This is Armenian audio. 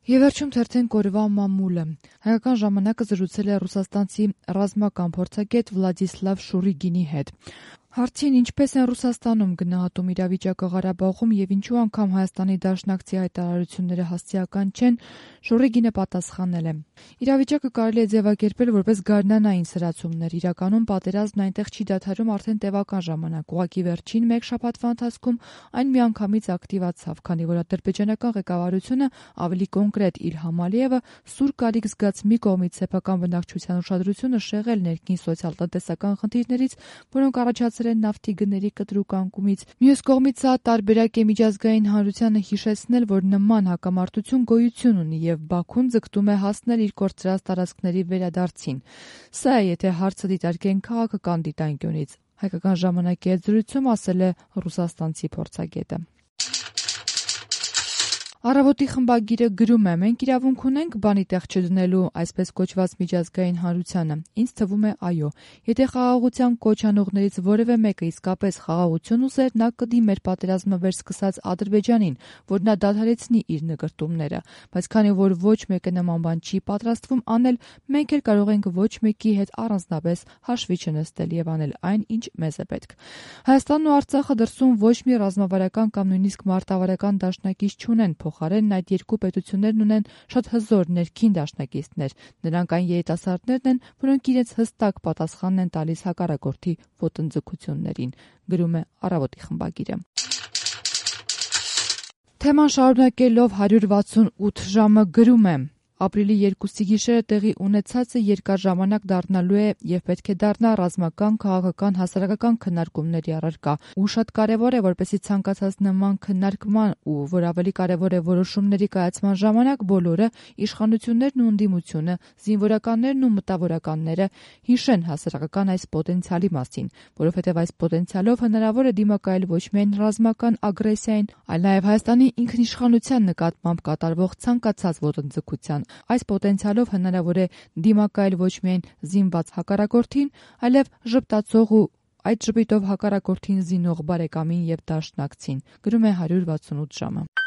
Եվ վերջում թերթեն կորվա մամուլը։ Հայկական ժամանակը զրուցել է ռուսաստանցի ռազմական փորձագետ Վլադիսլավ Շուրիգինի հետ։ Հարցին ինչպես են Ռուսաստանում գնահատում իրավիճակը Ղարաբաղում եւ ինչու անգամ Հայաստանի դաշնակցի հայտարարությունները հասցեական չեն, Շուրիգինը պատասխանել է. Իրավիճակը կարելի է ձևակերպել որպես գարնանային սրացումներ, իրականում պատերազմն այնտեղ չի դադարում արդեն տևական ժամանակ, ուղղակի վերջին մեկ շաբաթվա ընթացքում այն միանգամից ակտիվացավ, քանի որ ադրբեջանական ղեկավարությունը ավելի կոնկրետ Իլհամ Ալիևը սուր կարիք զգաց մի կողմից սեփական բնակչության ուշադրությունը շեղել ներքին սոցիալ-տնտեսական խնդիրներից, որոնք առաջացել են նավթի գների կտրուկ անկումից, մյուս կողմից սա տարբերակ է միջազգային հանրությանը հիշեցնել, որ նման հակամարտություն գոյություն ունի եւ Բաքուն ձգտում է հասնել իր կորցրած տարածքների վերադարձին։ Սա է, եթե հարցը դիտարկեն քաղաքական դիտանկյունից, Հայկական ժամանակի հետ զրույցում ասել է ռուսաստանցի փորձագետը։ Առավոտի խմբագիրը գրում է. մենք իրավունք ունենք բանի տեղ չդնելու այսպես կոչված միջազգային հանրությանը։ Ինձ թվում է այո։ Եթե խաղաղության կոչ անողներից որևէ մեկը իսկապես խաղաղություն ուզեր, նա կդիմեր պատերազմը վերսկսած Ադրբեջանին, որ նա դադարեցնի իր նկրտումները։ Բայց քանի որ ոչ մեկը նման բան չի պատրաստվում անել, մենք էլ կարող ենք ոչ մեկի հետ առանձնապես հաշվի չնստել եւ անել այն, ինչ մեզ է պետք։ Հայաստանն ու Արցախը դրսում ոչ մի ռազմավարական կամ նույնիսկ մարտավարական դաշնակից չունեն, փոխարենն այդ երկու պետություններն ունեն շատ հզոր ներքին դաշնակիցներ։ Նրանք այն երիտասարդներն են, որոնք իրենց հստակ պատասխանն են տալիս հակառակորդի ոտնձգություններին, գրում է Առավոտի խմբագիրը։ Թեման շարունակելով 168 ժամը գրում է. Ապրիլի 2-ի գիշերը տեղի ունեցածը երկար ժամանակ դառնալու է եւ պետք է դառնա ռազմական, քաղաքական, հասարակական քննարկումների առարկա։ Ու շատ կարեւոր է, որպեսզի ցանկացած նման քննարկման ու որ ավելի կարեւոր է որոշումների կայացման ժամանակ բոլորը, իշխանություններն ու ընդդիմությունը, զինվորականներն ու մտավորականները հիշեն հասարակական այս պոտենցիալի մասին, որովհետեւ այս պոտենցիալով հնարավոր է դիմակայել ոչ միայն ռազմական ագրեսիային, այլ նաեւ Հայաստանի ինքնիշխանության նկատմամբ կատարվող ցանկացած ոտնձգության։ Այս պոտենցիալով հնարավոր է դիմակայել ոչ միայն զինված հակառակորդին, այլև ժպտացող ու այդ ժպիտով հակառակորդին զինող բարեկամին եւ դաշնակցին, գրում է 168 ժամը։